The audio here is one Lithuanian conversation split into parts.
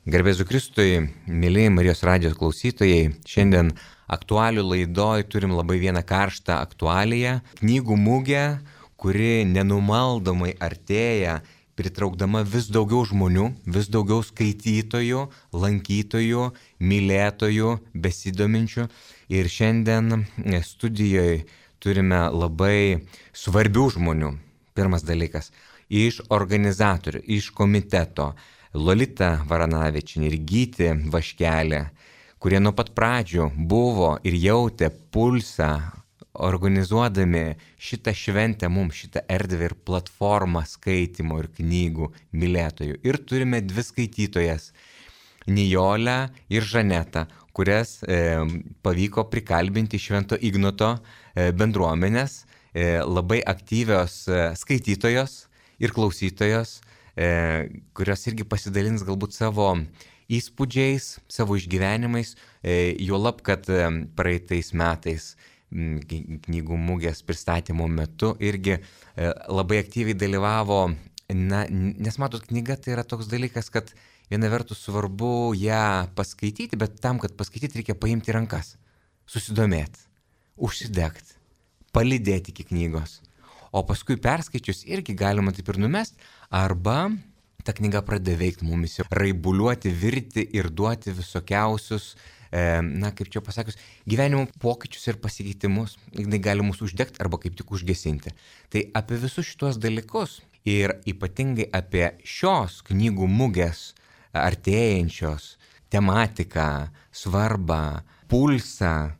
Garbėzu Kristui, mėly Marijos radijos klausytojai, šiandien aktualių laidoj turim labai vieną karštą aktualiją. Knygų mugė, kuri nenumaldomai artėja, pritraukdama vis daugiau žmonių, vis daugiau skaitytojų, lankytojų, mylėtojų, besidominčių. Ir šiandien studijoje turime labai svarbių žmonių. Pirmas dalykas - iš organizatorių, iš komiteto. Lolita Varanavičienė ir Gyti Vaškelė, kurie nuo pat pradžių buvo ir jautė pulsą, organizuodami šitą šventę mums, šitą erdvę ir platformą skaitimo ir knygų mylėtojų. Ir turime dvi skaitytojas - Nijolę ir Žanetą, kurias pavyko prikalbinti Švento Ignoto bendruomenės, labai aktyvios skaitytojos ir klausytojos, kurios irgi pasidalins galbūt savo įspūdžiais, savo išgyvenimais, juolab, kad praeitais metais knygų mugės pristatymo metu irgi labai aktyviai dalyvavo, nes matot, knyga tai yra toks dalykas, kad viena vertus svarbu ją paskaityti, bet tam, kad paskaityti, reikia paimti rankas, susidomėti, užsidegti, palydėti iki knygos. O paskui perskaičius irgi galima taip ir numest, arba ta knyga pradeda veikti mumis, raibuliuoti, virti ir duoti visokiausius, kaip čia pasakius, gyvenimo pokyčius ir pasikeitimus. Jis gali mus uždegti arba kaip tik užgesinti. Tai apie visus šitos dalykus ir ypatingai apie šios knygų mugės artėjančios tematiką, svarbą, pulsą.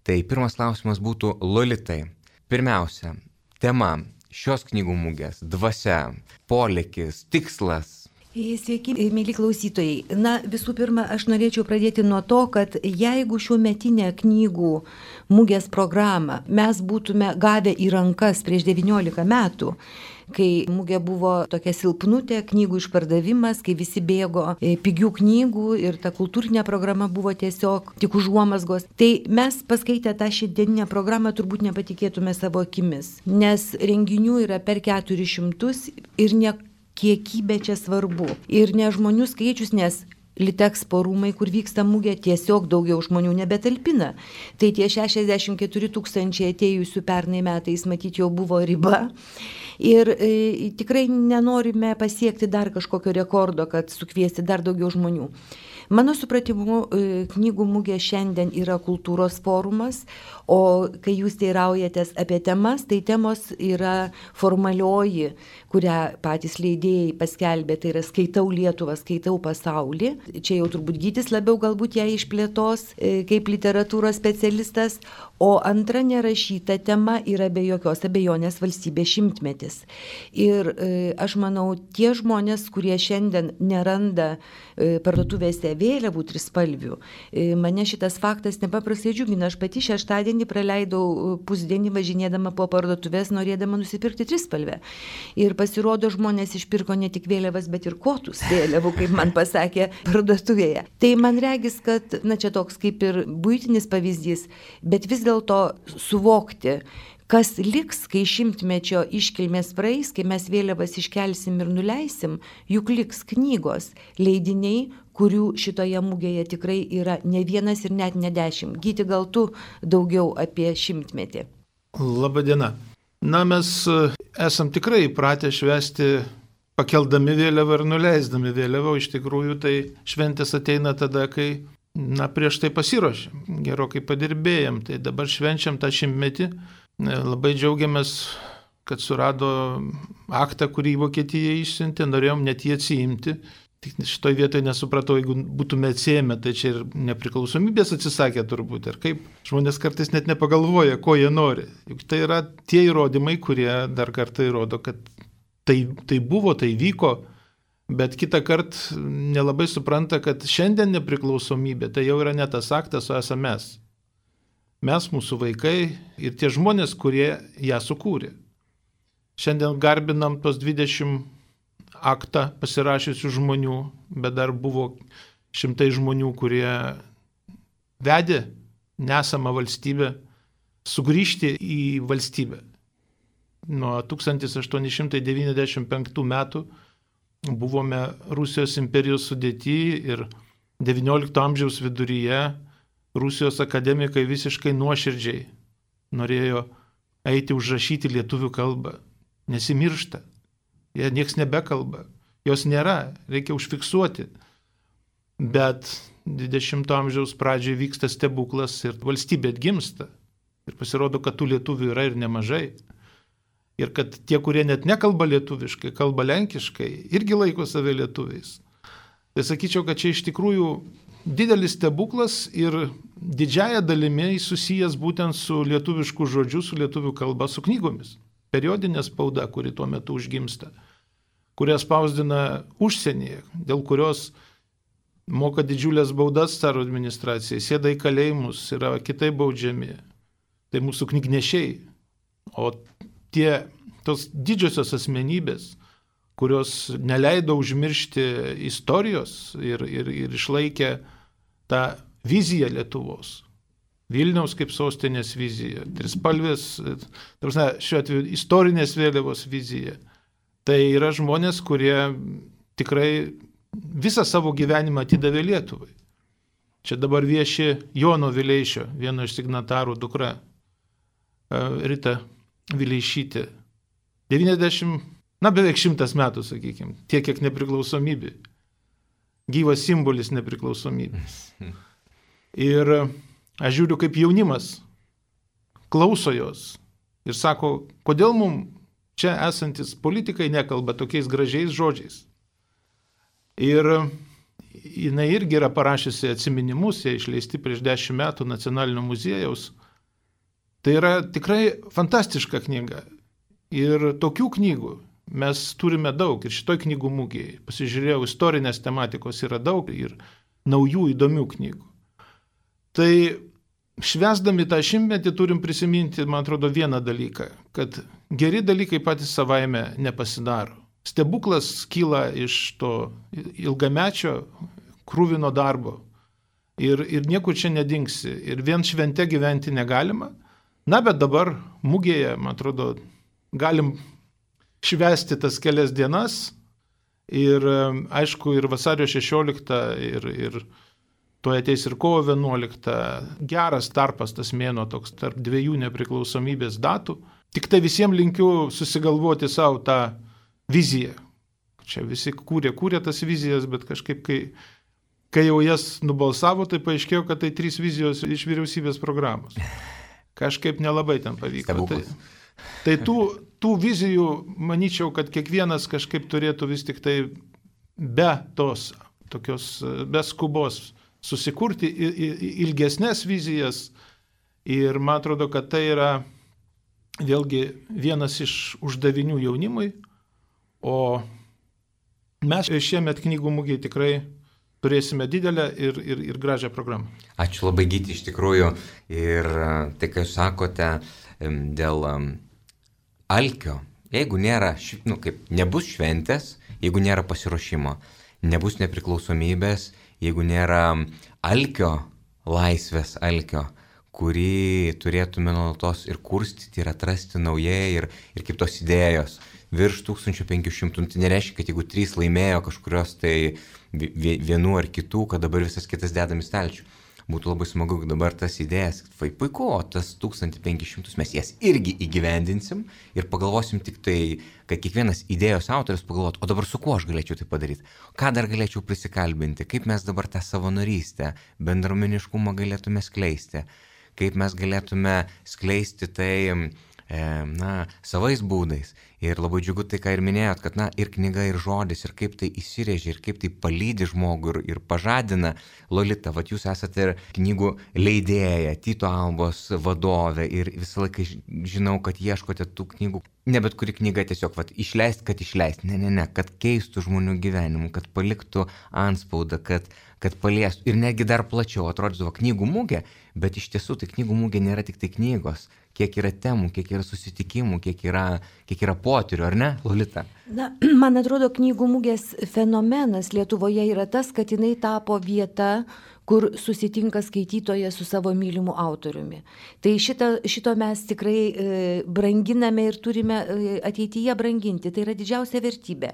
Tai pirmas klausimas būtų Lolitai. Pirmiausia, tema šios knygų mugės, dvasia, polėkis, tikslas. Sveiki, mėly klausytojai. Visų pirma, aš norėčiau pradėti nuo to, kad jeigu šiuo metinę knygų mugės programą mes būtume gavę į rankas prieš 19 metų, kai mugė buvo tokia silpnutė, knygų išpardavimas, kai visi bėgo pigių knygų ir ta kultūrinė programa buvo tiesiog tik užuomazgos, tai mes paskaitę tą šiandieninę programą turbūt nepatikėtume savo akimis, nes renginių yra per 400 ir ne kiekybė čia svarbu. Ir ne žmonių skaičius, nes Litexpo rūmai, kur vyksta mugė, tiesiog daugiau žmonių nebetalpina. Tai tie 64 000 atėjusių pernai metais, matyt, jau buvo riba. Ir tikrai nenorime pasiekti dar kažkokio rekordo, kad sukviesti dar daugiau žmonių. Mano supratimu, knygų mugė šiandien yra kultūros forumas, o kai jūs teiraujatės apie temas, tai temos yra formalioji, kurią patys leidėjai paskelbė, tai yra skaitau Lietuvą, skaitau pasaulį. Čia jau turbūt Gytis labiau galbūt ją išplėtos kaip literatūros specialistas, o antra nerašyta tema yra be jokios abejonės valstybės šimtmetis. Ir aš manau, tie žmonės, kurie šiandien neranda parduotuvėse vėliavų trispalvių, mane šitas faktas nepaprastai džiugina. Aš pati šeštadienį praleidau pusdienį važinėdama po parduotuvės, norėdama nusipirkti trispalvę. Ir pasirodo, žmonės išpirko ne tik vėliavas, bet ir kotus vėliavų, kaip man pasakė parduotuvėje. Tai man regis, kad, čia toks kaip ir buitinis pavyzdys, bet vis dėlto suvokti, kas liks, kai šimtmečio iškilmės praeis, kai mes vėliavas iškelsim ir nuleisim, juk liks knygos, leidiniai, kurių šitoje mugėje tikrai yra ne vienas ir net ne 10. Gyti, gal tu daugiau apie šimtmetį? Labadiena. Mes esam tikrai įpratę švęsti pakeldami vėliavą ir nuleisdami vėliavą. Iš tikrųjų, tai šventės ateina tada, kai prieš tai pasiruošėm, gerokai padirbėjom. Tai dabar švenčiam tą šimtmetį. Labai džiaugiamės, kad surado aktą, kurį Vokietija išsiuntė, norėjom net jį atsiimti. Tik šitoj vietoje nesupratau, jeigu būtume atsiėmę, tai čia ir nepriklausomybės atsisakė turbūt. Ir kaip žmonės kartais net nepagalvoja, ko jie nori. Juk tai yra tie įrodymai, kurie dar kartą įrodo, kad tai buvo, tai vyko, bet kitą kartą nelabai supranta, kad šiandien nepriklausomybė tai jau yra ne tas aktas, o esame mes. Mes, mūsų vaikai ir tie žmonės, kurie ją sukūrė. Šiandien garbinam tos 20 aktą pasirašiusių žmonių, bet dar buvo šimtai žmonių, kurie vedė nesamą valstybę sugrįžti į valstybę. Nuo 1895 metų buvome Rusijos imperijos sudėty ir XIX amžiaus viduryje Rusijos akademikai visiškai nuoširdžiai norėjo eiti užrašyti lietuvių kalbą. Nesimiršta. Jie nieks nebekalba. Jos nėra. Reikia užfiksuoti. Bet 20 amžiaus pradžioje vyksta stebuklas ir valstybė atgimsta. Ir pasirodo, kad tų lietuvių yra ir nemažai. Ir kad tie, kurie net nekalba lietuviškai, kalba lenkiškai, irgi laiko save lietuviais. Tai sakyčiau, kad čia iš tikrųjų didelis stebuklas ir didžiaja dalimi susijęs būtent su lietuvišku žodžiu, su lietuvių kalba, su knygomis. Periodinė spauda, kuri tuo metu užgimsta, kurią spausdina užsienyje, dėl kurios moka didžiulės baudas caro administracijai, sėda į kalėjimus, yra kitaip baudžiami. Tai mūsų knygnešiai. O tos didžiosios asmenybės, kurios neleido užmiršti istorijos ir išlaikė tą viziją Lietuvos. Vilniaus kaip sostinės vizija, trispalvės, šiuo atveju istorinės vėliavos vizija. Tai yra žmonės, kurie tikrai visą savo gyvenimą atidavė Lietuvai. Čia dabar vieši Jono Vileišio, vieno iš signatarų dukra, Rita Vileišytė. 90, beveik 100 metų, sakykime, tiek kiek nepriklausomybė. Gyvas simbolis nepriklausomybės. Ir aš žiūriu, kaip jaunimas klauso jos ir sako, kodėl mums čia esantis politikai nekalba tokiais gražiais žodžiais. Ir jinai irgi yra parašiusi atsiminimus, jie išleisti prieš 10 metų Nacionalinio muziejaus. Tai yra tikrai fantastiška knyga. Ir tokių knygų mes turime daug. Ir šitoj knygų mugėje, pasižiūrėjau, istorinės tematikos yra daug ir naujų įdomių knygų. Tai švęsdami tą 100-metį turim prisiminti, man atrodo, vieną dalyką, kad geri dalykai patys savaime nepasidaro. Stebuklas kyla iš to ilgamečio krūvino darbo ir niekur čia nedingsi. Ir vien švente gyventi negalima. Bet dabar mugėje, man atrodo, galim švęsti tas kelias dienas ir aišku ir vasario 16 ir tuoj ateis ir kovo 11. Geras tarpas tas mėnuo toks tarp dviejų nepriklausomybės datų. Tik tai visiems linkiu susigalvoti savo tą viziją. Čia visi kūrė tas vizijas, bet kažkaip kai jau jas nubalsavo, tai paaiškėjo, kad tai 3 vizijos iš vyriausybės programos. Kažkaip nelabai ten pavyko. Tai tų vizijų, manyčiau, kad kiekvienas kažkaip turėtų vis tik tai be skubos susikurti ilgesnės vizijas. Ir man atrodo, kad tai yra vėlgi vienas iš uždavinių jaunimui. O mes šiemet knygų mugėje tikrai turėsime didelę ir gražią programą. Ačiū labai, Gyti, iš tikrųjų. Ir tai, ką jūs sakote dėl alkio, jeigu nėra, nebus šventės, jeigu nėra pasiruošimo, nebus nepriklausomybės, jeigu nėra alkio, laisvės alkio, kurį turėtume nuolatos ir kurstyti, ir atrasti naujai, ir kaip tos idėjos. Virš 1500, tai nereiškia, kad jeigu 3 laimėjo kažkurios tai vienų ar kitų, kad dabar visas kitas dedam į stalčių. Būtų labai smagu, kad dabar tas idėjas, puiku, o tas 1500 mes jas irgi įgyvendinsim ir pagalvosim tik tai, kad kiekvienas idėjos autorius pagalvot, o dabar su kuo aš galėčiau tai padaryti, ką dar galėčiau prisikalbinti, kaip mes dabar tą savanorystę, bendruomeniškumą galėtume skleisti, kaip mes galėtume skleisti tai savais būdais. Ir labai džiugu tai, ką ir minėjot, kad ir knyga, ir žodis, ir kaip tai įsirėžia, ir kaip tai palydi žmogų ir pažadina. Lolita, jūs esate ir knygų leidėja, Tyto Albos vadovė ir visą laiką žinau, kad ieškote tų knygų. Ne bet kuri knyga tiesiog išleist, kad išleist. Ne, kad keistų žmonių gyvenimų, kad paliktų antspaudą, kad paliestų. Ir netgi dar plačiau atrodydavo knygų mugė, bet iš tiesų tai knygų mugė nėra tik tai knygos. Kiek yra temų, kiek yra susitikimų, kiek yra potyrių, ar ne, Lolita? Man atrodo, knygų mugės fenomenas Lietuvoje yra tas, kad jinai tapo vieta, kur susitinka skaitytojas su savo mylimu autoriumi. Tai šito mes tikrai branginame ir turime ateityje branginti. Tai yra didžiausia vertybė.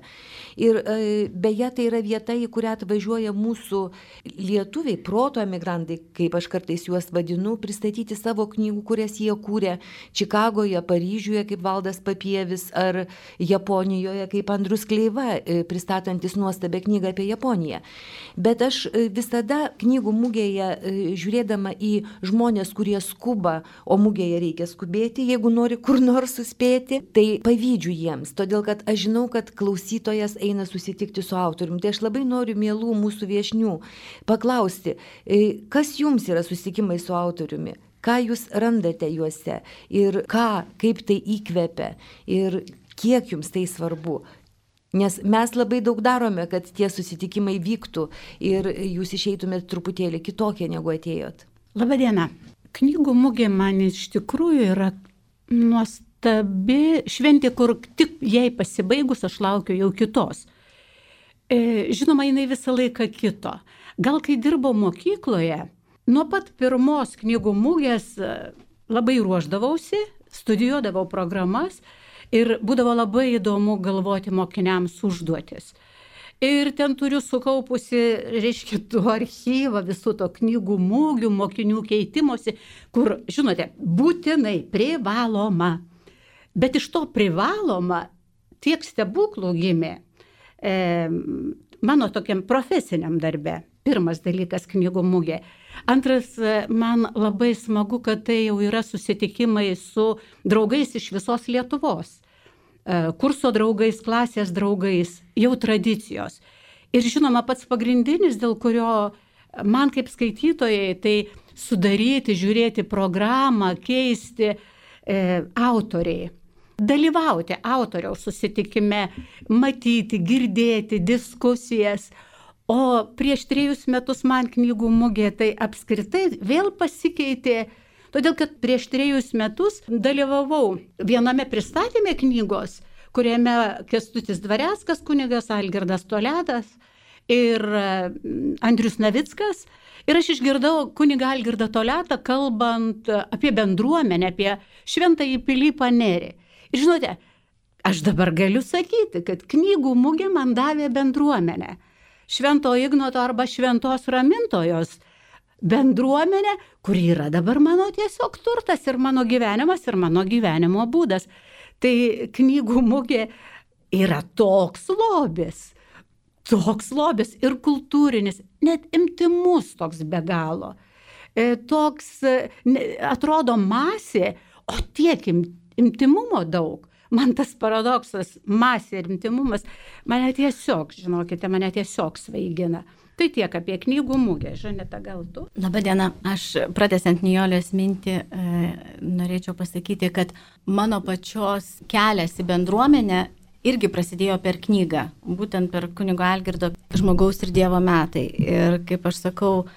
Ir beje, tai yra vieta, į kurią atvažiuoja mūsų lietuviai, proto emigrantai, kaip aš kartais juos vadinu, pristatyti savo knygų, kurias jie kūrė Čikagoje, Paryžiuje, kaip Valdas Papievis, ar Japonijoje, kaip Andrius Kleiva, pristatantis nuostabią knygą apie Japoniją. Bet aš visada knygų mugėje, žiūrėdama į žmonės, kurie skuba, o mugėje reikia skubėti, jeigu nori kur nors suspėti, tai pavydžiu jiems, todėl kad aš žinau, kad klausytojas eina susitikti su autoriumi. Tai aš labai noriu mielų mūsų viešnių paklausti, kas jums yra susitikimai su autoriumi, ką jūs randate juose ir kaip tai įkvepia ir kiek jums tai svarbu. Nes mes labai daug darome, kad tie susitikimai vyktų ir jūs išeitumėt truputėlį kitokie, negu atėjot. Labadiena. Knygų mugė man iš tikrųjų yra nuostabi šventė, kur tik jai pasibaigus aš laukiu jau kitos. Žinoma, jinai visą laiką kito. Gal kai dirbau mokykloje, nuo pat pirmos knygų mugės labai ruošdavausi, studijuodavau programas, ir būdavo labai įdomu galvoti mokiniams užduotis. Ir ten turiu sukaupusi, tų archyvą visų to knygų mugių, mokinių keitimosi, kur, žinote, būtinai privaloma. Bet iš to privaloma tiek stebuklų gimė mano tokiam profesiniam darbe. Pirmas dalykas knygų mugė. Antras, man labai smagu, kad tai jau yra susitikimai su draugais iš visos Lietuvos. Kurso draugais, klasės draugais, jau tradicijos. Ir žinoma, pats pagrindinis, dėl kurio man kaip skaitytojai, tai sudaryti, žiūrėti programą, keisti autoriai. Dalyvauti autoriaus susitikime, matyti, girdėti diskusijas. O prieš 3 metus man knygų mugė tai apskritai vėl pasikeitė, todėl kad prieš 3 metus dalyvavau viename pristatyme knygos, kuriame Kęstutis Dvareckas, kunigas Algirdas Toledas ir Andrius Navickas. Ir aš išgirdau kunigą Algirdą Toledą kalbant apie bendruomenę, apie Šventąjį Pilypą Nerį. Ir žinote, aš dabar galiu sakyti, kad knygų mugė man davė bendruomenę. Švento Ignoto arba Šventos Ramintojos bendruomenė, kuri yra dabar mano tiesiog turtas ir mano gyvenimas ir mano gyvenimo būdas. Tai knygų mugė yra toks lobis ir kultūrinis, net intymus toks be galo. Toks atrodo masė, o tiek intymumo daug. Man tas paradoksas, masė ir intymumas, mane tiesiog svaigina. Tai tiek apie knygų mugę. Žaneta, gal tu? Labadiena, aš pratęsiant Nijolės mintį, norėčiau pasakyti, kad mano pačios kelias į bendruomenę irgi prasidėjo per knygą, būtent per kunigo Algirdo Žmogaus ir Dievo metai. Ir kaip aš sakau,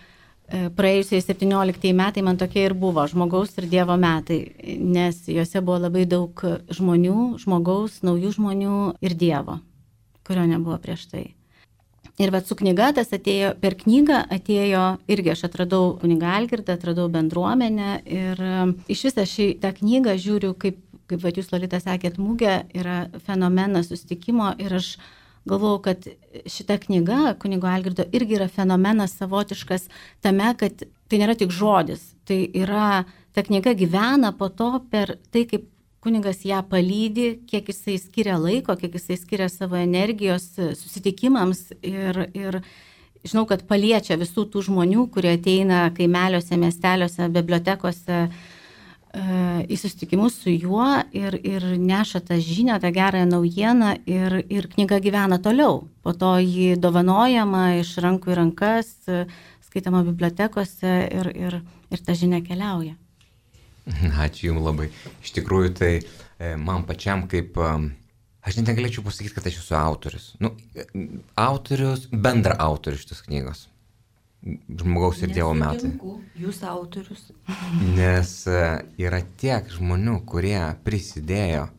praėjusiai 17 metai man tokie ir buvo Žmogaus ir Dievo metai, nes juose buvo labai daug žmonių, žmogaus, naujų žmonių ir Dievo, kurio nebuvo prieš tai. Ir su knyga tas atėjo, per knygą atėjo, irgi aš atradau kunigą Algirdą, atradau bendruomenę ir iš visą tą knygą žiūriu, kaip jūs Lolita sakėt, mugė yra fenomenas susitikimo ir aš galvojau, kad šita knyga kunigo Algirdo irgi yra fenomenas savotiškas tame, kad tai nėra tik žodis, tai yra, ta knyga gyvena po to per tai, kaip kunigas ją palydi, kiek jisai skiria laiko, kiek jisai skiria savo energijos susitikimams ir žinau, kad paliečia visų tų žmonių, kurie ateina kaimeliuose, miesteliuose, bibliotekose į susitikimus su juo ir neša tą žinią, tą gerąją naujieną ir knyga gyvena toliau. Po to jį dovanojama iš rankų į rankas, skaitama bibliotekose ir ta žinia keliauja. Ačiū Jums labai. Iš tikrųjų, tai man pačiam kaip, aš net negalėčiau pasakyti, kad aš esu autorius. Autorius, bendra autorius šitos knygos. Žmogaus ir Dievo metai. Jūs autorius. Nes yra tiek žmonių, kurie prisidėjo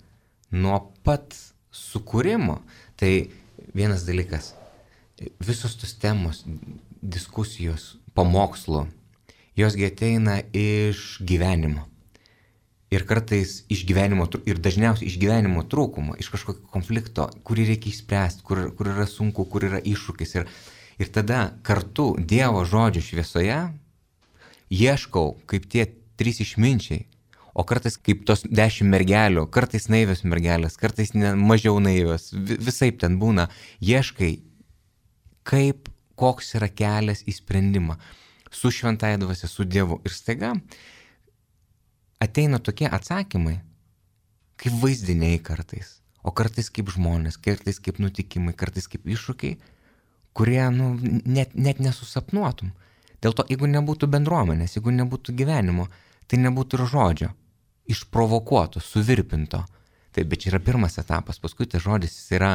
nuo pat sukūrimo. Tai vienas dalykas, visos tos temos, diskusijos, pamokslų, josgi ateina iš gyvenimo. Ir kartais iš gyvenimo, ir dažniausiai iš gyvenimo trūkumo, iš kažkokio konflikto, kurį reikia išspręsti, kur yra sunku, kur yra iššūkis. Ir tada kartu Dievo žodžio šviesoje ieškau kaip tie 3 išminčiai, o kartais kaip tos 10 mergelių, kartais naivios mergelės, kartais mažiau naivios, visaip ten būna, ieškai, koks yra kelias į sprendimą su šventąja dvasia, su Dievu. Ir staiga ateina tokie atsakymai, kaip vaizdiniai kartais, o kartais kaip žmonės, kartais kaip nutikimai, kartais kaip iššūkiai, kurie net nesusapnuotum. Dėl to, jeigu nebūtų bendruomenės, jeigu nebūtų gyvenimo, tai nebūtų ir žodžio, išprovokuoto, suvirpinto. Taip, bet čia yra pirmas etapas, paskui tas žodis jis yra,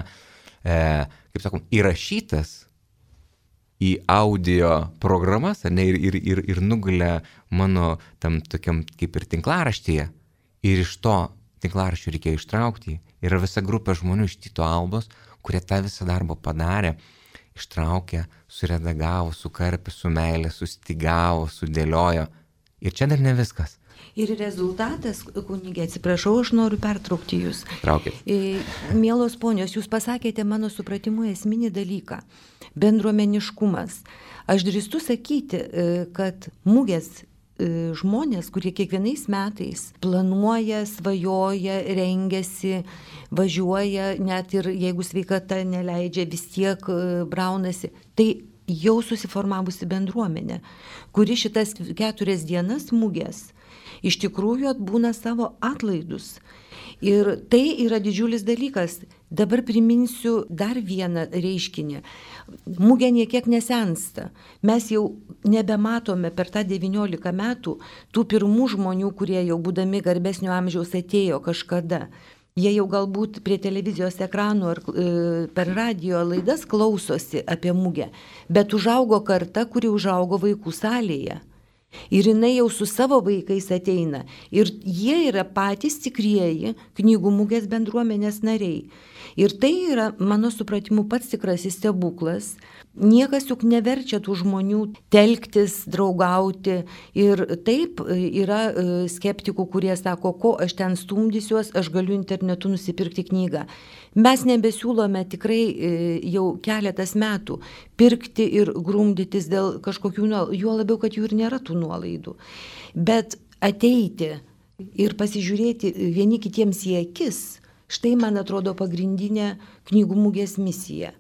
kaip sakom, įrašytas į audio programas, ne, ir nugulė mano tam tokiam kaip ir tinklaraštyje. Ir iš to tinklaraščio reikėjo ištraukti. Yra visa grupė žmonių iš Tyto Albos, kurie tą visą darbą padarė, ištraukė, suredagavo, sukarpė, su meilė, sustigavo, sudėliojo. Ir čia dar ne viskas. Ir rezultatas, kunigė, atsiprašau, aš noriu pertraukti jūs. Traukit. Mielos ponios, jūs pasakėte mano supratimu esminį dalyką – bendruomeniškumas. Aš drįstu sakyti, kad mugės žmonės, kurie kiekvienais metais planuoja, svajoja, rengiasi, važiuoja, net ir jeigu sveikata neleidžia, vis tiek braunasi, tai jau susiformavusi bendruomenė, kuri šitas 4 dienas mugės iš tikrųjų atbūna savo atlaidus. Ir tai yra didžiulis dalykas. Dabar priminsiu dar vieną reiškinį. Mugė niekiek nesensta. Mes jau nebematome per tą 19 metų tų pirmų žmonių, kurie jau būdami garbesnio amžiaus atėjo kažkada. Jie jau galbūt prie televizijos ekranų ar per radio laidas klausosi apie mugę, bet užaugo karta, kuri užaugo vaikų salėje. Ir jinai jau su savo vaikais ateina. Ir jie yra patys tikrieji knygų mugės bendruomenės nariai. Ir tai yra, mano supratimu, pats tikrasis stebuklas. Niekas juk neverčia tų žmonių telktis, draugauti. Ir taip yra skeptikų, kurie sako, ko aš ten stumdysiuos, aš galiu internetu nusipirkti knygą. Mes nebesiūlome tikrai jau keletas metų pirkti ir grumdytis dėl kažkokių, juo labiau, kad jų ir nėra tų nuolaidų. Bet ateiti ir pasižiūrėti vieni kitiems į akis, štai man atrodo pagrindinė knygų mugės misija.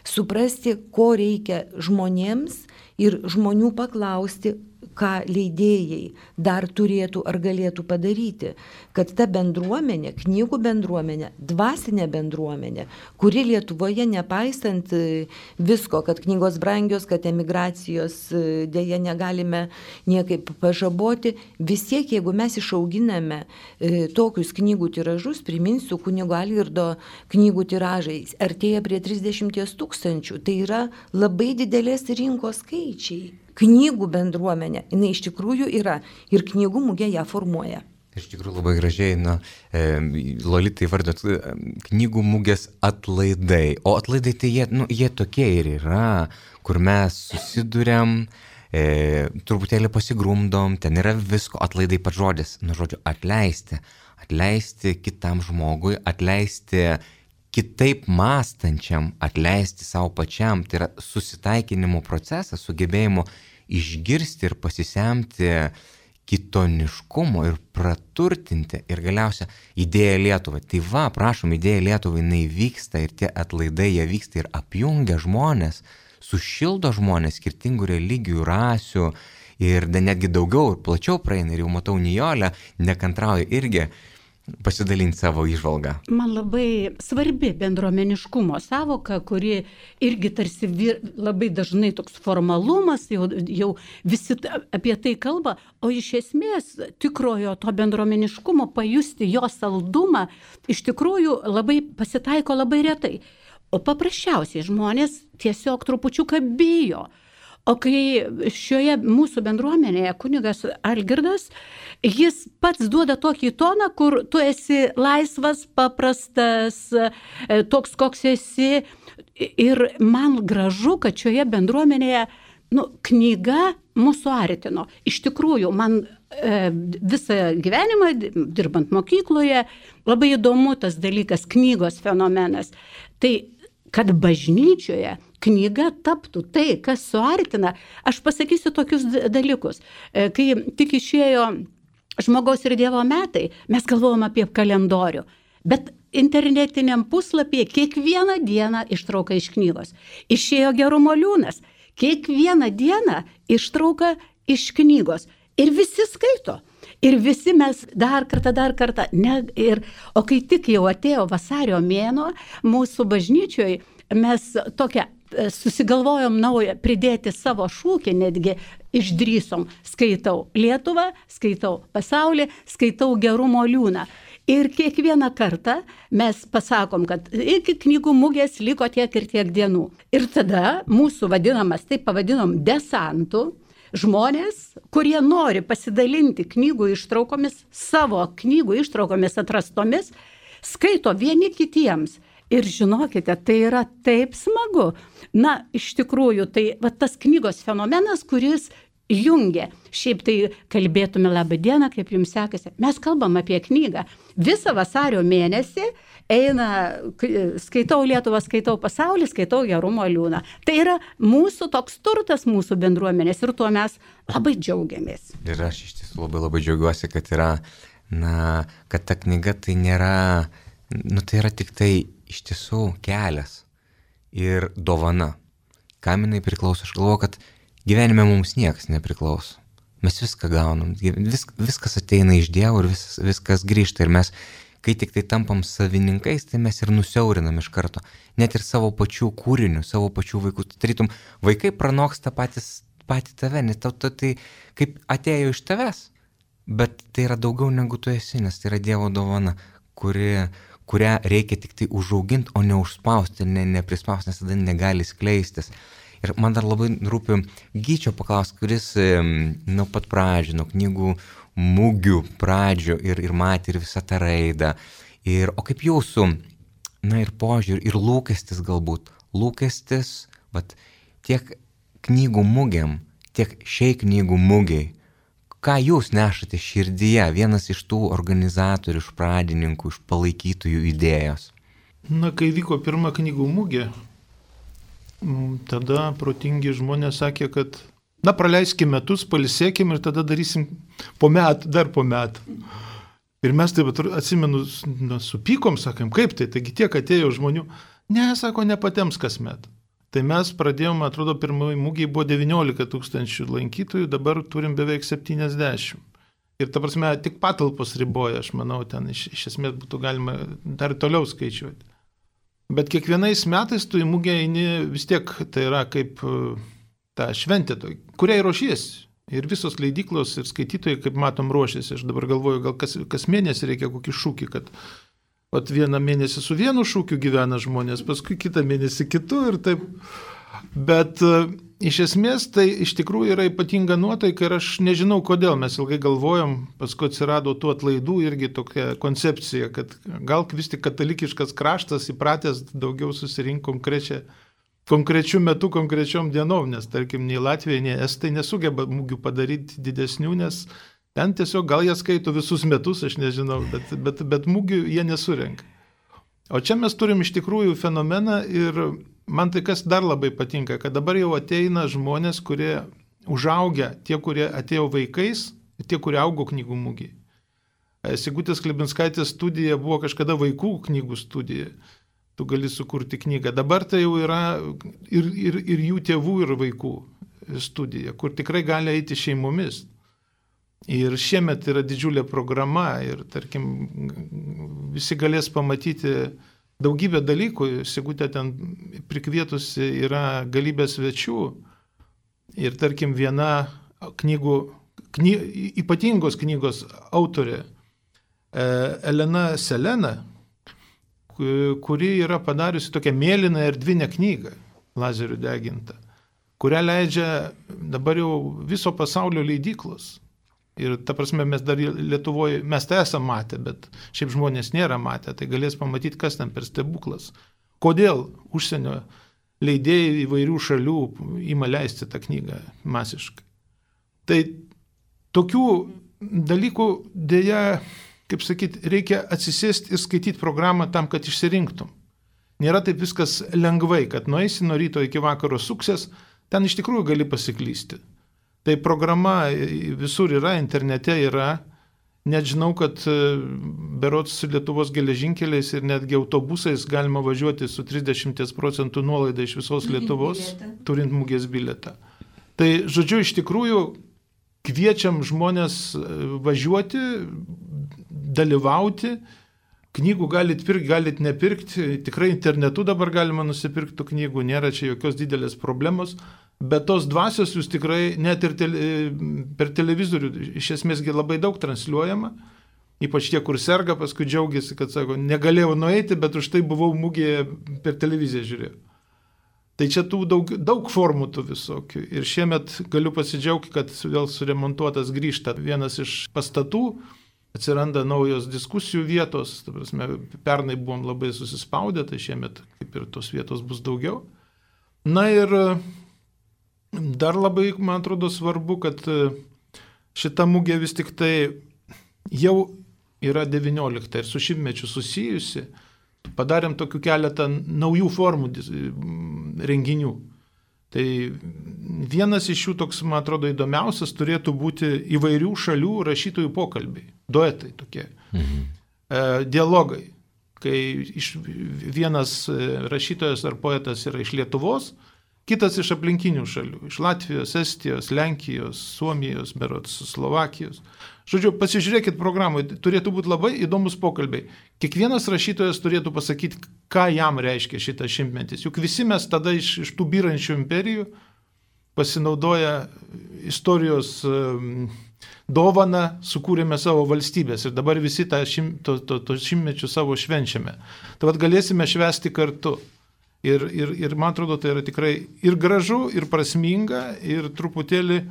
Suprasti, ko reikia žmonėms ir žmonių paklausti, ką leidėjai dar turėtų ar galėtų padaryti, kad ta bendruomenė, knygų bendruomenė, dvasinė bendruomenė, kuri Lietuvoje, nepaisant visko, kad knygos brangios, kad emigracijos dėja negalime niekaip pažaboti, vis tiek, jeigu mes išauginame tokius knygų tiražus, priminsiu, kunigo Algirdo knygų tiražai artėja prie 30 000, tai yra labai didelės rinkos skaičiai. Knygų bendruomenė, jinai iš tikrųjų yra ir knygų mugė ją formuoja. Iš tikrųjų labai gražiai, Lolita įvardot knygų mugės atlaidai. O atlaidai tai jie tokie ir yra, kur mes susiduriam, truputėlį pasigrumdom, ten yra visko, atlaidai pats žodis, žodžiu, atleisti kitam žmogui, atleisti kitaip mąstančiam, atleisti savo pačiam, tai yra susitaikinimo procesas, sugebėjimo išgirsti ir pasisemti kitoniškumo ir praturtinti ir galiausia idėja Lietuvai. Tai va, prašom, idėja Lietuvai, jinai vyksta ir tie atlaidai, jie vyksta ir apjungia žmonės, sušildo žmonės skirtingų religijų, rasių ir netgi daugiau ir plačiau praeina ir jau matau Nijolę, nekantrauja irgi pasidalinti savo įžvalgą. Man labai svarbi bendruomeniškumo savoka, kuri irgi tarsi labai dažnai toks formalumas, jau visi apie tai kalba, o iš esmės tikrojo to bendruomeniškumo pajusti jo saldumą iš tikrųjų labai pasitaiko labai retai. O paprasčiausiai žmonės tiesiog trupučiuką bijo. O kai šioje mūsų bendruomenėje kunigas Algirdas, jis pats duoda tokį toną, kur tu esi laisvas, paprastas, toks, koks esi. Ir man gražu, kad šioje bendruomenėje knyga mūsų artino. Iš tikrųjų, man visą gyvenimą, dirbant mokykloje, labai įdomu tas dalykas, knygos fenomenas. Tai, kad bažnyčioje knyga taptų tai, kas suartina, aš pasakysiu tokius dalykus. Kai tik išėjo Žmogaus ir Dievo metai, mes galvojom apie kalendorių, bet internetiniam puslapyje kiekvieną dieną ištrauka iš knygos. Išėjo Gerumo liūnas, kiekvieną dieną ištrauka iš knygos. Ir visi skaito. Ir visi mes dar kartą. O kai tik jau atėjo vasario mėnuo, mūsų bažnyčioje mes tokią susigalvojom naują pridėti savo šūkį, netgi išdrįsom. Skaitau Lietuvą, skaitau pasaulį, skaitau Gerumo liūną. Ir kiekvieną kartą mes pasakom, kad iki knygų mugės liko tiek ir tiek dienų. Ir tada mūsų vadinamas, taip pavadinom, desantų, žmonės, kurie nori pasidalinti knygų ištraukomis, savo knygų ištraukomis atrastomis, skaito vieni kitiems. Ir žinokite, tai yra taip smagu. Na, iš tikrųjų, tai tas knygos fenomenas, kuris jungia. Šiaip tai kalbėtume labą dieną, kaip jums sekasi. Mes kalbam apie knygą. Visą vasario mėnesį eina, skaitau Lietuvą, skaitau pasaulį, skaitau Gerumo liūną. Tai yra mūsų toks turtas, mūsų bendruomenės ir tuo mes labai džiaugiamės. Ir aš iš tiesų labai džiaugiuosi, kad yra, kad ta knyga tai nėra, tai yra tik tai iš tiesų kelias ir dovana. Kam jinai priklauso? Aš galvoju, kad gyvenime mums niekas nepriklauso. Mes viską gaunam, viskas ateina iš Dievo ir viskas grįžta. Ir mes, kai tik tai tampam savininkais, tai mes ir nusiaurinam iš karto. Net ir savo pačių kūrinių, savo pačių vaikų. Tarytum, vaikai pranoksta patį tave, nes tai kaip atėjo iš tavęs. Bet tai yra daugiau negu tu esi, nes tai yra Dievo dovana, kurią reikia tik tai užauginti, o ne užspausti, neprispausti, nes tada negali skleistis. Ir man dar labai rūpi Gyčio paklausti, kuris nuo pat pradžių, nuo knygų mugių pradžių ir matė ir visą tą raidą. O kaip jūsų, ir požiūrį, ir lūkestis galbūt, tiek knygų mugiam, tiek šiai knygų mugiai, ką jūs nešate širdyje, vienas iš tų organizatorių, iš pradininkų, iš palaikytojų idėjos? Kai vyko pirma knygų mugė, tada protingi žmonės sakė, kad praleiskime metus, pailsėkime ir tada darysim dar po metų. Ir mes taip atsimenu, supykom, sakėm, kaip tai, taigi tiek atėjo žmonių. Ne, sako, nepatems kasmet. Tai mes pradėjome, atrodo, pirmoji mūgiai buvo 19 000 lankytojų, dabar turim beveik 70. Ir ta prasme, tik patalpos riboja, aš manau, ten iš esmės būtų galima dar toliau skaičiuoti. Bet kiekvienais metais tu į mūgę eini vis tiek, tai yra kaip ta šventė, kuriai ruošiesi. Ir visos leidyklos ir skaitytojai, kaip matom, ruošiasi. Aš dabar galvoju, gal kas mėnesį reikia kokį šūkį, kad vieną mėnesį su vienu šūkiu gyvena žmonės, paskui kitą mėnesį kitu ir taip. Bet iš esmės tai iš tikrųjų yra ypatinga nuotaika ir aš nežinau kodėl. Mes ilgai galvojom, paskui atsirado tų atlaidų irgi tokia koncepcija, kad gal vis tik katalikiškas kraštas įpratęs daugiau susirinkti konkrečių metų, konkrečiom dienom, nes tarkim nei Latvija, nei Estai nesugeba mūgių padaryti didesnių, nes ten tiesiog gal jie skaito visus metus, aš nežinau, bet mūgių jie nesurenka. O čia mes turim iš tikrųjų fenomeną ir man tai kas dar labai patinka, kad dabar jau ateina žmonės, kurie užaugia, tie, kurie atėjo vaikais, tie, kurie augo knygų mūgiai. Sigutės Klebinskaitės studija buvo kažkada vaikų knygų studija. Tu gali sukurti knygą. Dabar tai jau yra ir jų tėvų, ir vaikų studija, kur tikrai gali eiti šeimomis. Ir šiemet yra didžiulė programa ir, tarkim, visi galės pamatyti daugybę dalykų. Sigutė ten prikvietusi yra galybė svečių. Ir, tarkim, viena ypatingos knygos autorė, Elena Selena, kuri yra padariusi tokią mėlyną erdvinę knygą, lazerių degintą, kurią leidžia dabar jau viso pasaulio leidyklos. Ir ta prasme, mes dar Lietuvoje, mes tai esame matę, bet šiaip žmonės nėra matę, tai galės pamatyti, kas ten per stebuklas. Kodėl užsienio leidėjai įvairių šalių ima leisti tą knygą masiškai. Tai tokių dalykų dėja, kaip sakyti, reikia atsisėsti ir skaityti programą tam, kad išsirinktum. Nėra taip viskas lengvai, kad nueisi nuo ryto iki vakaro suksės, ten iš tikrųjų gali pasiklysti. Tai programa visur yra, internete yra, net žinau, kad berods su Lietuvos geležinkeliais ir netgi autobusais galima važiuoti su 30% nuolaida iš visos Lietuvos, turint mugės bilietą. Tai, žodžiu, iš tikrųjų kviečiam žmonės važiuoti, dalyvauti. Knygų galit pirkti, galit nepirkti, tikrai internetu dabar galima nusipirkti knygų, nėra čia jokios didelės problemos, bet tos dvasios jūs tikrai net ir per televizorių iš esmėsgi labai daug transliuojama, ypač tie, kur serga, paskui džiaugiasi, kad sako, negalėjau nueiti, bet už tai buvau mugėje per televiziją žiūrėjau. Tai čia tų daug formų tų visokių ir šiemet galiu pasidžiaugti, kad vėl suremontuotas grįžta vienas iš pastatų, atsiranda naujos diskusijų vietos, ta prasme, pernai buvom labai susispaudę, tai šiemet kaip ir tos vietos bus daugiau. Na ir dar labai, man atrodo, svarbu, kad šita mugė vis tik tai jau yra 19 ir su šimtmečiu susijusi, padarėm tokių keletą naujų formų renginių. Tai vienas iš jų toks, man atrodo, įdomiausias turėtų būti įvairių šalių rašytojų pokalbiai, duetai tokie, dialogai, kai vienas rašytojas ar poetas yra iš Lietuvos, kitas iš aplinkinių šalių, iš Latvijos, Estijos, Lenkijos, Suomijos, berods, Slovakijos. Žodžiu, pasižiūrėkit programoje, turėtų būti labai įdomus pokalbiai. Kiekvienas rašytojas turėtų pasakyti, ką jam reiškia šitas šimtmetis. Juk visi mes tada iš tų byrančių imperijų pasinaudoję istorijos dovaną sukūrėme savo valstybės ir dabar visi tą šimtmečių savo švenčiame. Tai vat galėsime švęsti kartu. Ir man atrodo, tai yra tikrai ir gražu, ir prasminga, ir truputėlį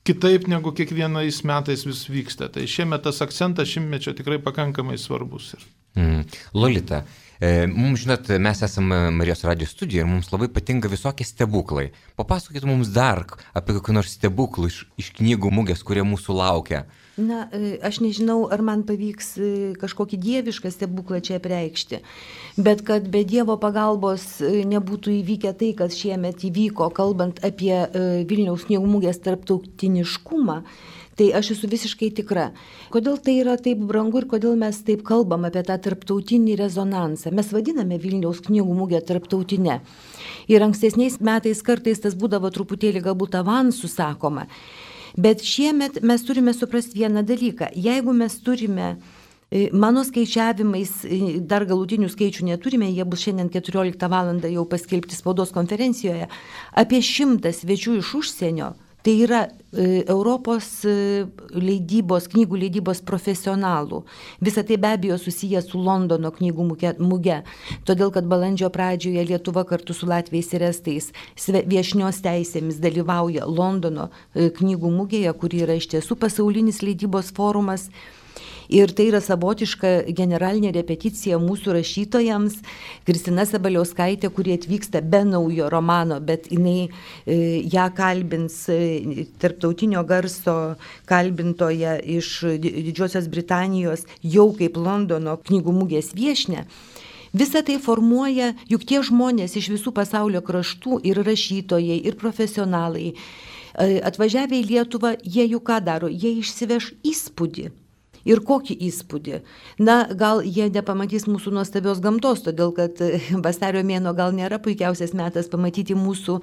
kitaip negu kiekvienais metais vis vyksta. Tai šiemet tas akcentas šimtmečio tikrai pakankamai svarbus. Lolita, mums, žinot, mes esame Marijos radijo studijoje ir mums labai patinka visokie stebuklai. Papasakokit mums dar apie kokį nors stebuklų iš knygų mugės, kurie mūsų laukia. Na, aš nežinau, ar man pavyks kažkokį dievišką stebuklą čia apreikšti, bet kad be Dievo pagalbos nebūtų įvykę tai, kas šiemet įvyko, kalbant apie Vilniaus knygų mugės tarptautiniškumą, tai aš esu visiškai tikra. Kodėl tai yra taip brangu ir kodėl mes taip kalbam apie tą tarptautinį rezonansą? Mes vadiname Vilniaus knygų mugę tarptautinę. Ir ankstesniais metais kartais tas būdavo truputėlį galbūt avansų sakoma. Bet šiemet mes turime suprasti vieną dalyką. Jeigu mes turime, mano skaičiavimais, dar galutinių skaičių neturime, jie bus šiandien 14 valandą jau paskelbti spaudos konferencijoje, apie 100 svečių iš užsienio, tai yra Europos leidybos, knygų leidybos profesionalų. Visa tai be abejo susiję su Londono knygų muge, todėl kad balandžio pradžioje Lietuva kartu su latviais ir estais viešnios teisėmis dalyvauja Londono knygų mugėje, kuri yra iš tiesų pasaulinis leidybos forumas. Ir tai yra savotiška generalinė repeticija mūsų rašytojams. Kristina Sabaliauskaitė, kuri atvyksta be naujo romano, bet jinai ją kalbins tarptautinio garso kalbintoje iš Didžiosios Britanijos jau kaip Londono knygų mugės viešnia. Visa tai formuoja, juk tie žmonės iš visų pasaulio kraštų ir rašytojai, ir profesionalai atvažiavę į Lietuvą, jie juk ką daro? Jie išsiveš įspūdį. Ir kokį įspūdį? Na, gal jie nepamatys mūsų nuostabios gamtos, todėl kad vasario mėnuo gal nėra puikiausias metas pamatyti mūsų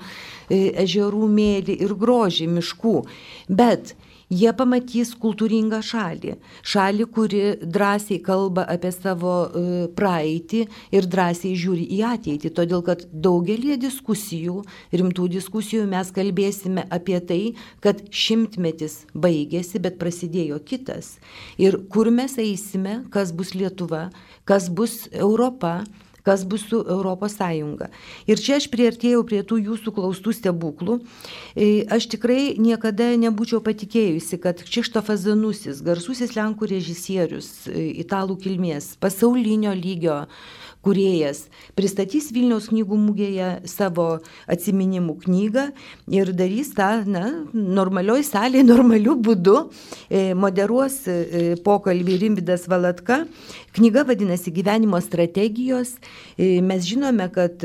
ežerų mėlį ir grožį miškų, bet jie pamatys kultūringą šalį, kuri drąsiai kalba apie savo praeitį ir drąsiai žiūri į ateitį, todėl kad daugelį diskusijų, rimtų diskusijų mes kalbėsime apie tai, kad šimtmetis baigėsi, bet prasidėjo kitas. Ir kur mes eisime, kas bus Lietuva, kas bus Europa, kas bus su Europos Sąjunga. Ir čia aš priartėjau prie tų jūsų klaustų stebuklų. Aš tikrai niekada nebūčiau patikėjusi, kad Krzysztofas Zanusis, garsusis lenkų režisierius, italų kilmės, pasaulinio lygio, kūrėjas, pristatys Vilniaus knygų mugėje savo atsiminimų knygą ir darys tą normalioj salėje, normaliu būdu, moderuos pokalbį Rimvydas Valatka. Knyga vadinasi Gyvenimo strategijos. Mes žinome, kad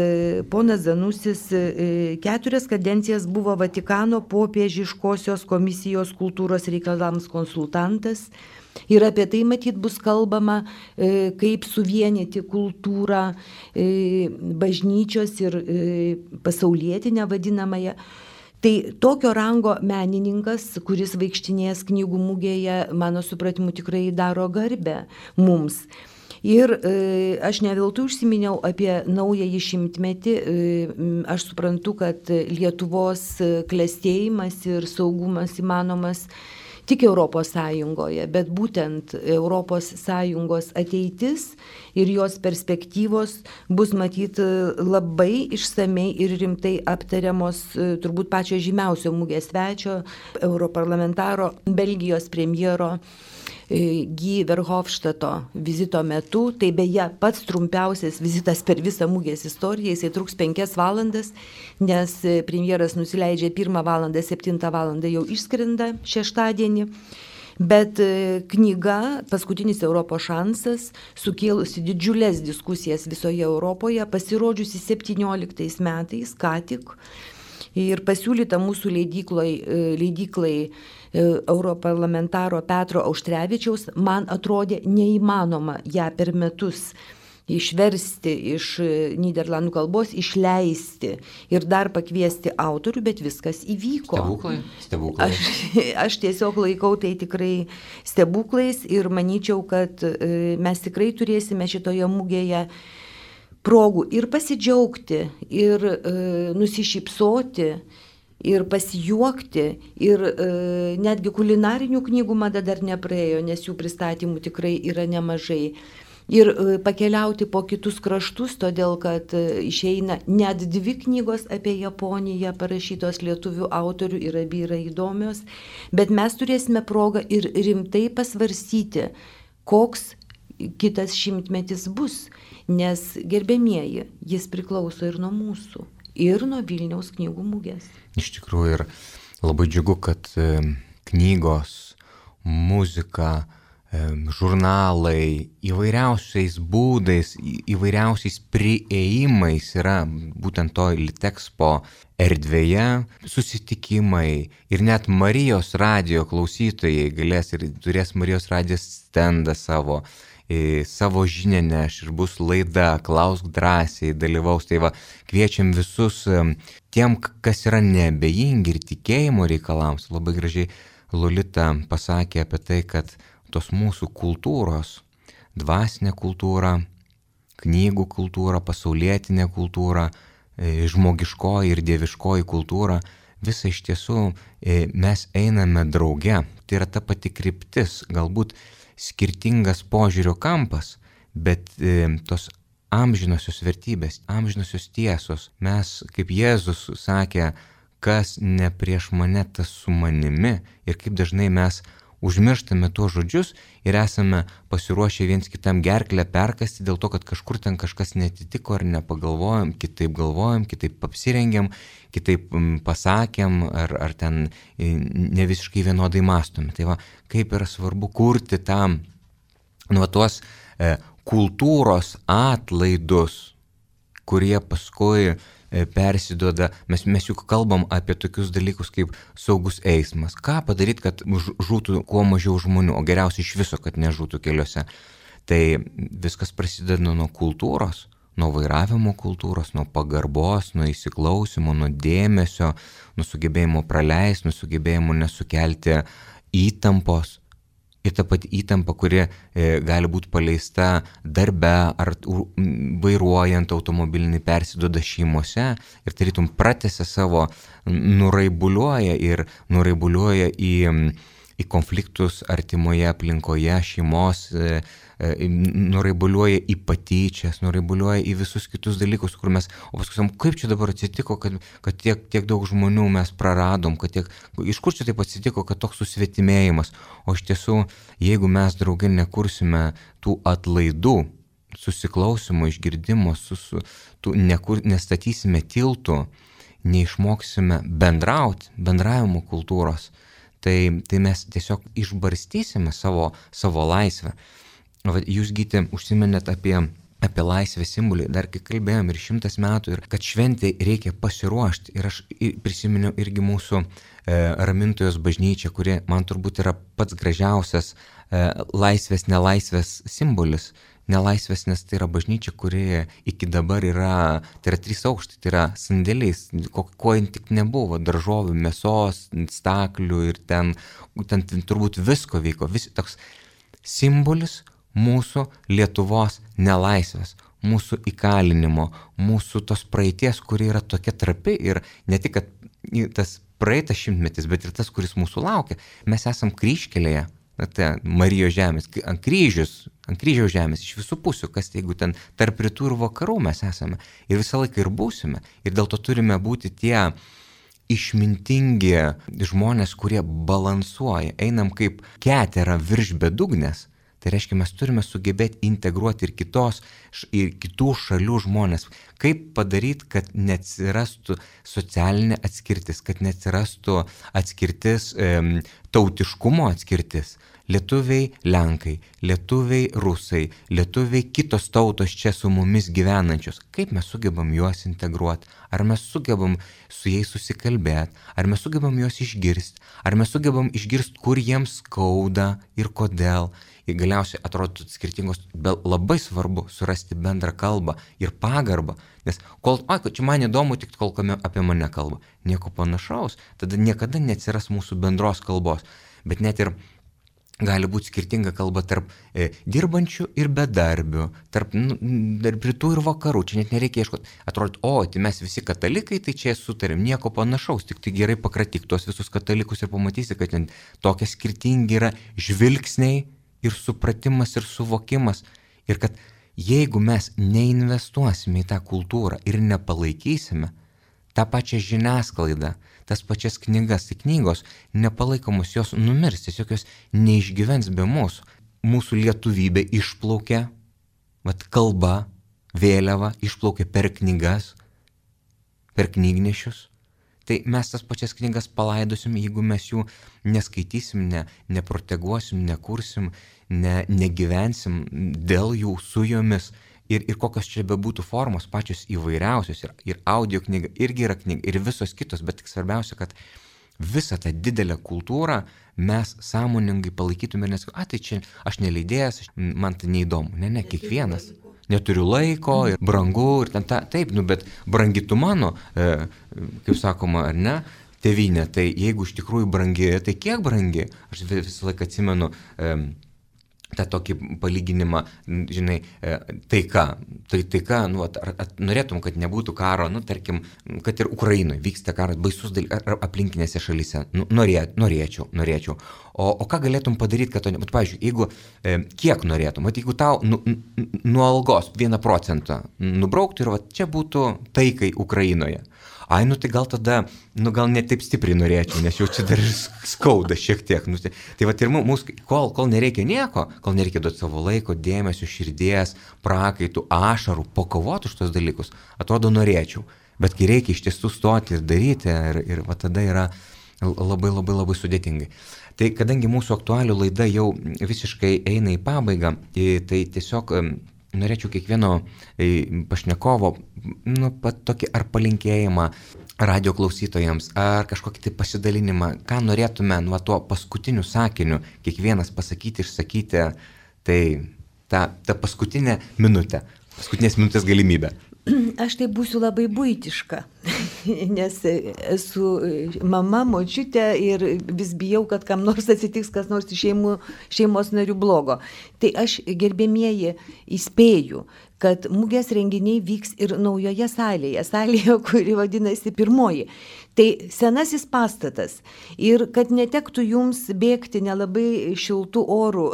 ponas Zanusis 4 kadencijas buvo Vatikano popiežiškosios komisijos kultūros reikalams konsultantas. Ir apie tai matyt bus kalbama, kaip suvienyti kultūrą, bažnyčios ir pasaulietinę vadinamąją. Tai tokio rango menininkas, kuris vaikštinės knygų mugėje, mano supratimu, tikrai daro garbę mums. Ir aš ne veltui užsiminiau apie naująjį šimtmetį. Aš suprantu, kad Lietuvos klestėjimas ir saugumas įmanomas tik Europos Sąjungoje, bet būtent Europos Sąjungos ateitis ir jos perspektyvos bus matyti labai išsamei ir rimtai aptariamos turbūt pačio žymiausio mugės svečio, europarlamentaro, Belgijos premjero Guy Verhofstadto vizito metu. Tai beje pats trumpiausias vizitas per visą mugės istoriją, jisai truks 5 valandas, nes premjeras nusileidžia 1 valandą, 7 valandą jau išskrenda šeštadienį. Bet knyga Paskutinis Europos šansas, sukėlusi didžiulės diskusijas visoje Europoje, pasirodžiusi 17 metais, ką tik, ir pasiūlyta mūsų leidyklai europarlamentaro Petro Auštrevičiaus, man atrodė neįmanoma ją per metus išversti iš Nyderlandų kalbos, išleisti ir dar pakviesti autorių, bet viskas įvyko. Stebuklai. Aš tiesiog laikau tai tikrai stebuklais ir manyčiau, kad mes tikrai turėsime šitoje mugėje progų ir pasidžiaugti, ir nusišypsoti, ir pasijuokti, ir netgi kulinarinių knygų mada dar nepraėjo, nes jų pristatymų tikrai yra nemažai. Ir pakeliauti po kitus kraštus, todėl kad išeina net 2 knygos apie Japoniją parašytos lietuvių autorių ir abi yra įdomios, bet mes turėsime progą ir rimtai pasvarsyti, koks kitas šimtmetis bus, nes gerbiamieji, jis priklauso ir nuo mūsų, ir nuo Vilniaus knygų mugės. Iš tikrųjų ir labai džiugu, kad knygos, muzika, žurnalai įvairiausiais būdais, įvairiausiais priėjimais yra būtent to Litexpo erdvėje, susitikimai ir net Marijos radijo klausytojai galės ir turės Marijos radijos stendą savo žinią neš ir bus laida, klausk drąsiai, dalyvaus. Tai va, kviečiam visus tiem, kas yra neabejingi ir tikėjimo reikalams. Labai gražiai Lolita pasakė apie tai, kad tos mūsų kultūros, dvasinė kultūra, knygų kultūra, pasaulietinė kultūra, žmogiškoji ir dieviškoji kultūra, visa iš tiesų mes einame drauge. Tai yra ta pati kryptis, galbūt skirtingas požiūrio kampas, bet tos amžinosios vertybės, amžinosios tiesos. Mes, kaip Jėzus sakė, kas ne prieš mane, tas su manimi, ir kaip dažnai mes užmirštame tuos žodžius ir esame pasiruošę viens kitam gerklę perkasti dėl to, kad kažkur ten kažkas netitiko ar nepagalvojom, kitaip apsirengėm, kitaip pasakėm ar ten ne visiškai vienodai mąstome. Tai va, kaip yra svarbu kurti tam tuos kultūros atlaidus, kurie paskui persiduoda, mes juk kalbam apie tokius dalykus kaip saugus eismas. Ką padaryti, kad žūtų kuo mažiau žmonių, o geriausiai iš viso, kad nežūtų keliuose. Tai viskas prasideda nuo kultūros, nuo vairavimo kultūros, nuo pagarbos, nuo įsiklausimo, nuo dėmesio, nuo sugebėjimo praleisti, nuo sugebėjimo nesukelti įtampos. Ir ta pati įtampa, kuri gali būti paleista darbe ar vairuojant automobilinį, persiduoda šeimose ir tarytum pratęsia savo, nuraibuliuoja į konfliktus artimoje aplinkoje, šeimos, nuraibuliuoja į patyčias, nuraibuliuoja į visus kitus dalykus, kur mes, o paskui sakom, kaip čia dabar atsitiko, kad tiek daug žmonių mes praradom, iš kur čia taip atsitiko, kad toks susvetimėjimas. O iš tiesų, jeigu mes drauge nekursime tų atlaidų, susiklausimo, išgirdimo, nestatysime tiltų, neišmoksime bendravimo kultūros, tai mes tiesiog išbarstysime savo laisvę. Jūs, Gyti, užsiminėt apie laisvės simbolį, dar kai kalbėjom ir 100 metų, ir kad šventai reikia pasiruošti. Ir aš prisiminiau irgi mūsų Ramintojos bažnyčią, kuri man turbūt yra pats gražiausias laisvės, nelaisvės simbolis. Nelaisvės, nes tai yra bažnyčia, kuri iki dabar yra 3 aukštai, tai yra sandėliais, ko tik nebuvo, daržovių, mėsos, staklių ir ten turbūt visko vyko. Toks simbolis mūsų Lietuvos nelaisvės, mūsų įkalinimo, mūsų tos praeities, kuri yra tokia trapi ir ne tik, kad tas praeitas šimtmetis, bet ir tas, kuris mūsų laukia. Mes esam kryžkelėje. Marijos žemės, ant kryžiaus žemės, iš visų pusių, kas jeigu ten tarp rytų ir vakarų mes esame ir visą laiką ir būsime. Ir dėl to turime būti tie išmintingi žmonės, kurie balansuoja, einam kaip ketera virš bedugnės. Tai reiškia, mes turime sugebėti integruoti ir kitų šalių žmonės. Kaip padaryti, kad neatsirastų socialinė atskirtis, kad neatsirastų atskirtis, tautiškumo atskirtis. Lietuviai Lenkai, lietuviai Rusai, lietuviai kitos tautos čia su mumis gyvenančios. Kaip mes sugebam juos integruoti? Ar mes sugebam su jais susikalbėti? Ar mes sugebam juos išgirsti? Ar mes sugebam išgirsti, kur jiems skauda ir kodėl? Ir galiausiai atrodo skirtingos, bet labai svarbu surasti bendrą kalbą ir pagarbą, nes čia man įdomu tik kol apie mane kalba, nieko panašaus, tada niekada neatsiras mūsų bendros kalbos, bet net ir gali būti skirtinga kalba tarp dirbančių ir bedarbių, tarp rytų ir vakarų, čia net nereikia ieškoti, atrodo, tai mes visi katalikai, tai čia sutarėm, nieko panašaus, tik tai gerai pakratyk tuos visus katalikus ir pamatysi, kad ten tokie skirtingi yra žvilgsniai, ir supratimas, ir suvokimas. Ir kad jeigu mes neinvestuosime į tą kultūrą ir nepalaikysime tą pačią žiniasklaidą, tas pačias knygas, tai knygos nepalaikomos, jos numirs, tiesiog jos neišgyvens be mūsų. Mūsų lietuvybė išplaukia, kalba, vėliava išplaukia per knygas, per knygnešius. Tai mes tas pačias knygas palaidosim, jeigu mes jų neskaitysim, neproteguosim, nekursim, negyvensim dėl jų su jomis. Ir kokios čia bebūtų formos, pačios įvairiausios. Ir audio knyga irgi yra knyga, ir visos kitos, bet tik svarbiausia, kad visą tą didelę kultūrą mes sąmoningai palaikytume ir nesakome, tai čia aš neleidėjas, man tai neįdomu. Ne, kiekvienas. Neturiu laiko ir brangu ir ten taip, bet brangi tu mano, kaip sakoma, ar ne, tėvynė, tai jeigu iš tikrųjų brangi, tai kiek brangi? Aš visą laiką atsimenu tą tokį palyginimą, žinai, taika, norėtum, kad nebūtų karo, tarkim, kad ir Ukrainoje vyksta karas, baisus dalykas, ar aplinkinėse šalyse, norėčiau. O ką galėtum padaryti, kad to nebūtų? Pavyzdžiui, jeigu kiek norėtum, jeigu tau nuo algos 1% nubrauktų ir čia būtų taikai Ukrainoje. Tai gal tada, gal ne taip stipriai norėčiau, nes jau čia dar skauda šiek tiek. Tai ir mūsų, kol nereikia nieko, kol nereikia duoti savo laiko, dėmesio, širdies, prakaitų, ašarų, pakovoti už tos dalykus, atrodo norėčiau. Bet kai reikia iš tiesų stoti ir daryti, ir tada yra labai sudėtingai. Tai kadangi mūsų aktualių laida jau visiškai eina į pabaigą, tai tiesiog norėčiau kiekvieno pašnekovo tokį ar palinkėjimą radio klausytojams, ar kažkokį tai pasidalinimą, ką norėtume nuo tuo paskutiniu sakiniu kiekvienas pasakyti, išsakyti, tai ta paskutinė minutė, paskutinės minutės galimybė. Aš tai būsiu labai buitiška, nes esu mama, močiutė ir vis bijau, kad kam nors atsitiks kas nors iš šeimos narių blogo. Tai aš, gerbėmieji, įspėju, kad mugės renginiai vyks ir naujoje salėje, kuri vadinasi Pirmoji. Tai senasis pastatas. Ir kad netektų jums bėgti nelabai šiltų orų,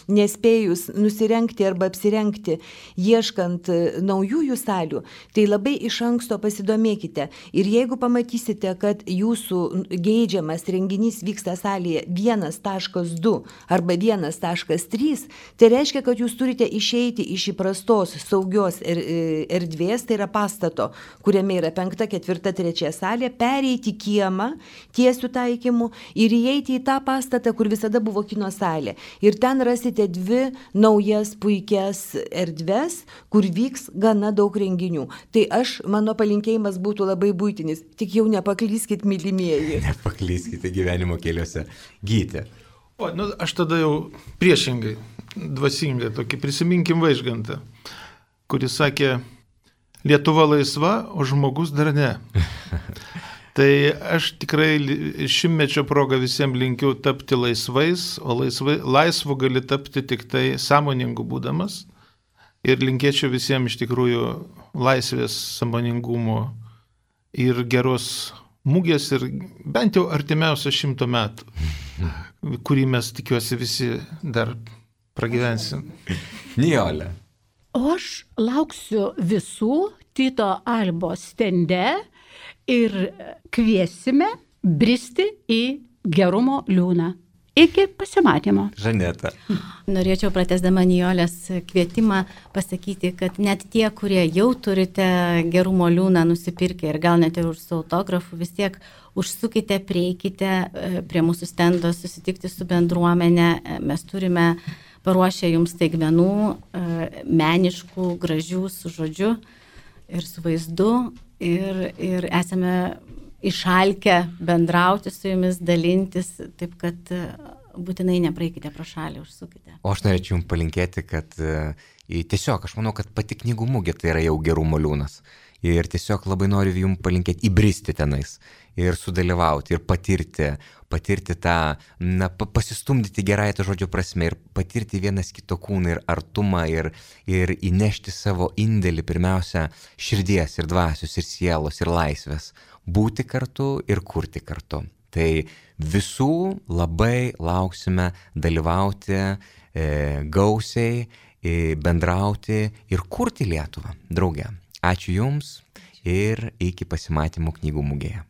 nespėjus nusirengti arba apsirengti, ieškant naujųjų salių, tai labai iš anksto pasidomėkite. Ir jeigu pamatysite, kad jūsų geidžiamas renginys vyksta salėje 1.2 arba 1.3, tai reiškia, kad jūs turite išeiti iš įprastos saugios erdvės, tai yra pastato, kuriame yra 5., 4., 3 salė, pereiti kiemą tiesių taikymų ir įeiti į tą pastatą, kur visada buvo kino salė. Ir ten rasite 2 naujas puikias erdves, kur vyks gana daug renginių. Tai mano palinkėjimas būtų labai buitinis, tik jau nepaklyskit, mylimieji. Nepaklyskite gyvenimo keliuose. Gyti. Aš tada jau priešingai, dvasingai, tokį prisiminkim Vaižgantą, kuris sakė, Lietuva laisva, o žmogus dar ne. Tai aš tikrai šimtmečio progą visiems linkiu tapti laisvais, o laisvu gali tapti tik tai sąmoningu būdamas. Ir linkėčiau visiems iš tikrųjų laisvės, sąmoningumo ir geros mugės ir bent jau artimiausią 100 metų, kurį mes tikiuosi visi dar pragyvensim. Nijolė. O aš lauksiu visų Tito Albos stende ir kviesime bristi į gerumo liūną. Iki pasimatymo. Žaneta. Norėčiau pratęsdama Nijolės kvietimą pasakyti, kad net tie, kurie jau turite gerumo liūną nusipirkę ir gal net ir su autografu, vis tiek užsukite, prieikite prie mūsų stendo, susitikti su bendruomenė. Mes turime paruošę jums staigmenų, meniškų, gražių, su žodžiu ir su vaizdu. Ir esame išalkę bendrauti su jumis, dalintis, taip kad būtinai nepraeikite pro šalį, užsukite. O aš norėčiau jums palinkėti, kad tiesiog, aš manau, kad pati knygų mugė tai yra jau gerumo liūnas. Ir tiesiog labai noriu jums palinkėti įbristi tenais ir sudalyvauti ir patirti tą, pasistumdyti gerąją to žodžio prasme ir patirti vienas kito kūną ir artumą ir įnešti savo indėlį pirmiausia širdies ir dvasios ir sielos ir laisvės. Būti kartu ir kurti kartu. Tai visų labai lauksime dalyvauti gausiai, bendrauti ir kurti Lietuvą drauge. Ačiū Jums ir iki pasimatymų knygų mugėje.